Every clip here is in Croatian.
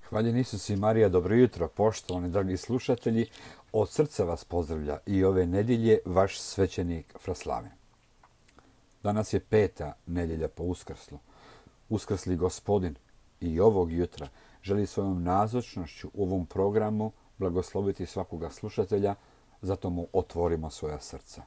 Hvaljen Isus i Marija, dobro jutro, poštovani dragi slušatelji. Od srca vas pozdravlja i ove nedjelje vaš svećenik Fraslaven. Danas je 5. nedjelja po Uskrslu. Uskrsli Gospodin i ovog jutra želi svojom nazočnošću u ovom programu blagosloviti svakoga slušatelja, zato mu otvorimo svoja srca.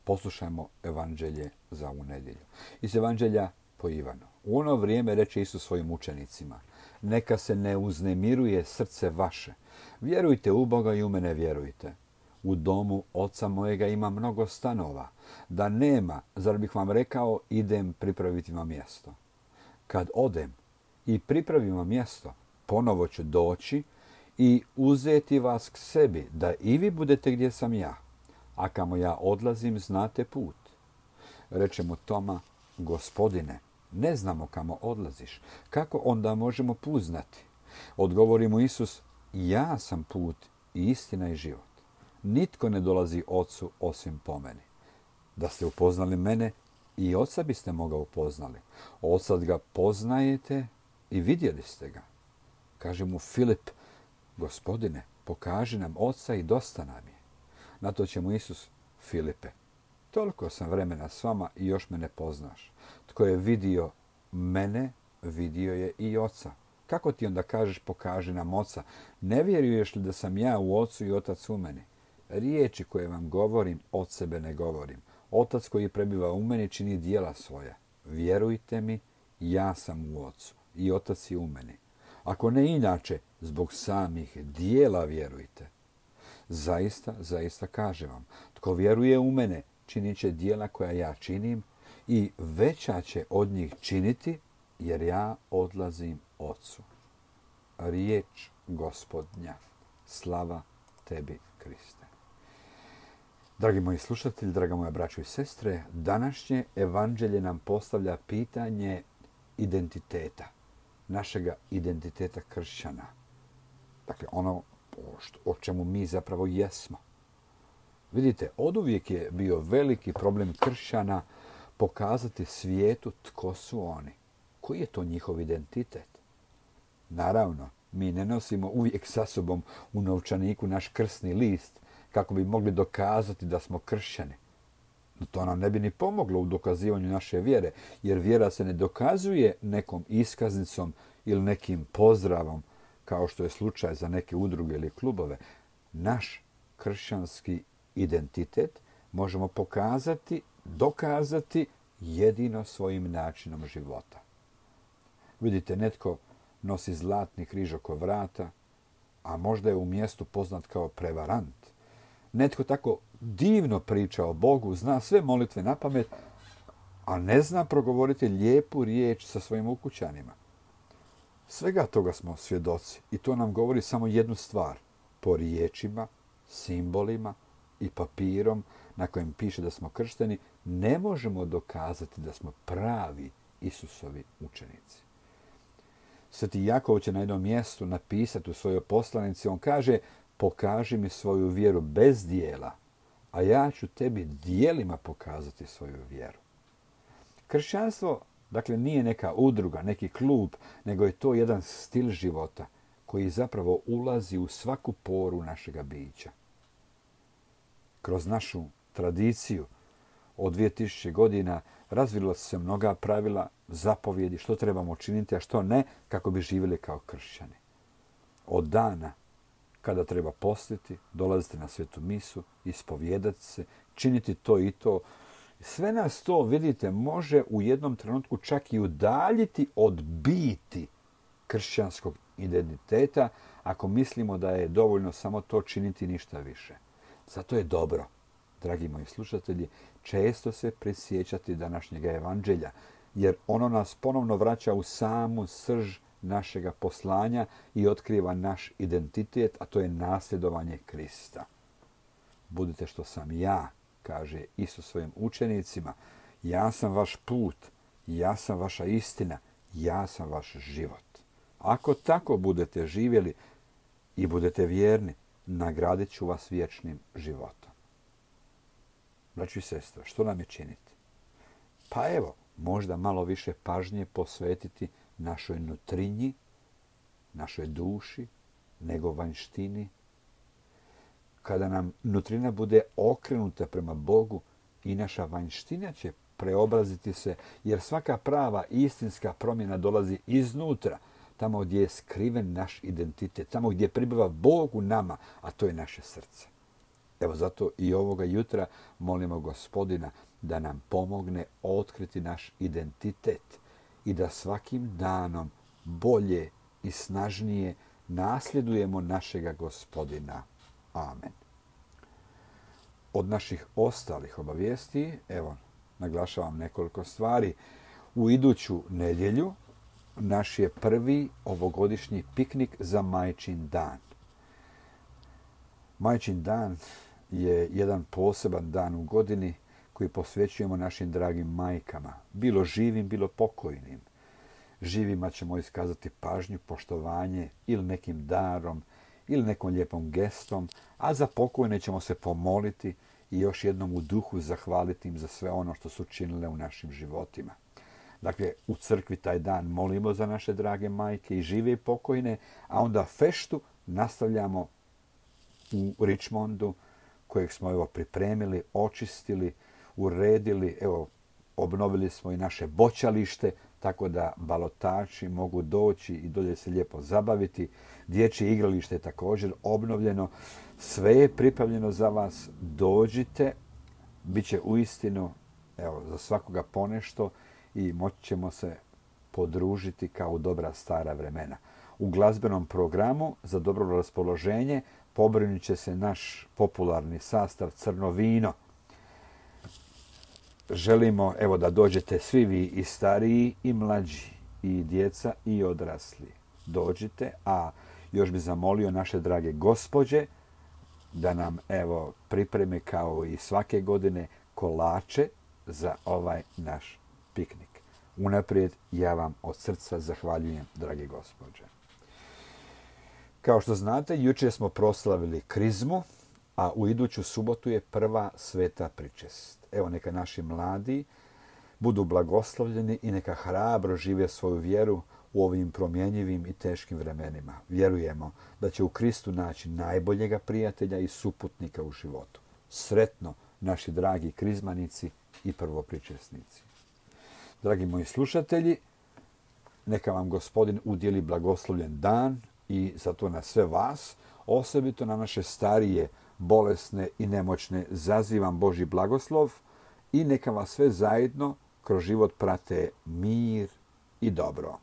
Poslušajmo evanđelje za ovu nedjelju. Iz evanđelja po Ivanu. U ono vrijeme reče Isus svojim učenicima: neka se ne uznemiruje srce vaše. Vjerujte u Boga i u mene vjerujte. U domu oca mojega ima mnogo stanova. Da nema, zar bih vam rekao, idem pripraviti vam mjesto. Kad odem i pripravim vam mjesto, ponovo ću doći i uzeti vas k sebi, da i vi budete gdje sam ja. A kamo ja odlazim, znate put. Reče mu Toma: Gospodine, ne znamo kamo odlaziš. Kako onda možemo put znati? Odgovori mu Isus: ja sam put i istina i život. Nitko ne dolazi Ocu osim po meni. Da ste upoznali mene, i Oca biste moga upoznali. Oca ga poznajete i vidjeli ste ga. Kaže mu Filip: Gospodine, pokaži nam Oca i dosta nam je. Na to će mu Isus: Filipe, toliko sam vremena s vama i još me ne poznaš. Tko je vidio mene, vidio je i Oca. Kako ti onda kažeš pokaži nam Oca? Ne vjeruješ li da sam ja u Ocu i Otac u meni? Riječi koje vam govorim, od sebe ne govorim. Otac koji prebiva u meni čini djela svoja. Vjerujte mi, ja sam u Ocu i Otac je u meni. Ako ne inače, zbog samih djela vjerujte. Zaista, zaista kažem vam, tko vjeruje u mene, činit će djela koja ja činim i veća će od njih činiti, jer ja odlazim Ocu. Riječ Gospodnja. Slava tebi, Kriste. Dragi moji slušatelji, draga moja braćo i sestre, današnje evanđelje nam postavlja pitanje identiteta, našega identiteta kršćana. Dakle, ono o čemu mi zapravo jesmo. Vidite, oduvijek je bio veliki problem kršćana pokazati svijetu tko su oni. Koji je to njihov identitet? Naravno, mi ne nosimo uvijek sa sobom u novčaniku naš krsni list kako bi mogli dokazati da smo kršćani. No to nam ne bi ni pomoglo u dokazivanju naše vjere, jer vjera se ne dokazuje nekom iskaznicom ili nekim pozdravom, kao što je slučaj za neke udruge ili klubove. Naš kršćanski identitet možemo pokazati, dokazati jedino svojim načinom života. Vidite, netko nosi zlatni križ oko vrata, a možda je u mjestu poznat kao prevarant. Netko tako divno priča o Bogu, zna sve molitve na pamet, a ne zna progovoriti lijepu riječ sa svojim ukućanima. Svega toga smo svjedoci i to nam govori samo jednu stvar. Po riječima, simbolima i papirom na kojem piše da smo kršteni, ne možemo dokazati da smo pravi Isusovi učenici. Sveti Jakov će na jednom mjestu napisati u svojoj poslanici, on kaže: pokaži mi svoju vjeru bez dijela, a ja ću tebi dijelima pokazati svoju vjeru. Kršćanstvo, dakle, nije neka udruga, neki klub, nego je to jedan stil života koji zapravo ulazi u svaku poru našega bića. Kroz našu tradiciju od 2000 godina razvila su se mnoga pravila, zapovjedi, što trebamo činiti, a što ne, kako bi živjeli kao kršćani. Od dana kada treba postiti, dolaziti na svetu misu, ispovijedati se, činiti to i to. Sve nas to, vidite, može u jednom trenutku čak i udaljiti od biti kršćanskog identiteta, ako mislimo da je dovoljno samo to činiti, ništa više. Zato je dobro, dragi moji slušatelji, često se prisjećati današnjega evanđelja, jer ono nas ponovno vraća u samu srž našega poslanja i otkriva naš identitet, a to je nasljedovanje Krista. Budite što sam ja, kaže Isus svojim učenicima, ja sam vaš put, ja sam vaša istina, ja sam vaš život. Ako tako budete živjeli i budete vjerni, nagradit ću vas vječnim životom. Braćo i sestre, što nam je činiti? Pa evo, možda malo više pažnje posvetiti našoj nutrinji, našoj duši, nego vanjštini. Kada nam nutrina bude okrenuta prema Bogu, i naša vanjština će preobraziti se, jer svaka prava istinska promjena dolazi iznutra, tamo gdje je skriven naš identitet, tamo gdje pribiva Bog u nama, a to je naše srce. Evo zato i ovoga jutra molimo Gospodina da nam pomogne otkriti naš identitet i da svakim danom bolje i snažnije nasljedujemo našega Gospodina. Amen. Od naših ostalih obavijesti, evo, naglašavam nekoliko stvari. U iduću nedjelju naš je prvi ovogodišnji piknik za Majčin dan. Majčin dan je jedan poseban dan u godini koji posvećujemo našim dragim majkama, bilo živim, bilo pokojnim. Živima ćemo iskazati pažnju, poštovanje ili nekim darom ili nekom lijepom gestom, a za pokojne ćemo se pomoliti i još jednom u duhu zahvaliti im za sve ono što su činile u našim životima. Dakle, u crkvi taj dan molimo za naše drage majke i žive i pokojne, a onda feštu nastavljamo u Richmondu, kojeg smo evo pripremili, očistili, uredili, evo obnovili smo i naše boćalište, tako da balotači mogu doći i dolje se lijepo zabaviti. Dječje igralište je također obnovljeno. Sve je pripravljeno za vas. Dođite, bit će uistinu evo, za svakoga ponešto i moći ćemo se podružiti kao u dobra stara vremena. U glazbenom programu za dobro raspoloženje pobrinut će se naš popularni sastav Crno vino. Želimo evo da dođete svi vi i stariji i mlađi, i djeca i odrasli. Dođite, a još bi zamolio naše drage gospođe da nam evo pripreme kao i svake godine kolače za ovaj naš piknik. Unaprijed ja vam od srca zahvaljujem, drage gospođe. Kao što znate, jučer smo proslavili krizmu, a u iduću subotu je prva sveta pričest. Evo neka naši mladi budu blagoslovljeni i neka hrabro žive svoju vjeru u ovim promjenjivim i teškim vremenima. Vjerujemo da će u Kristu naći najboljega prijatelja i suputnika u životu. Sretno, naši dragi krizmanici i prvopričesnici. Dragi moji slušatelji, neka vam Gospodin udjeli blagoslovljen dan i zato na sve vas, osobito na naše starije, bolesne i nemoćne, zazivam Božji blagoslov i neka vas sve zajedno kroz život prate mir i dobro.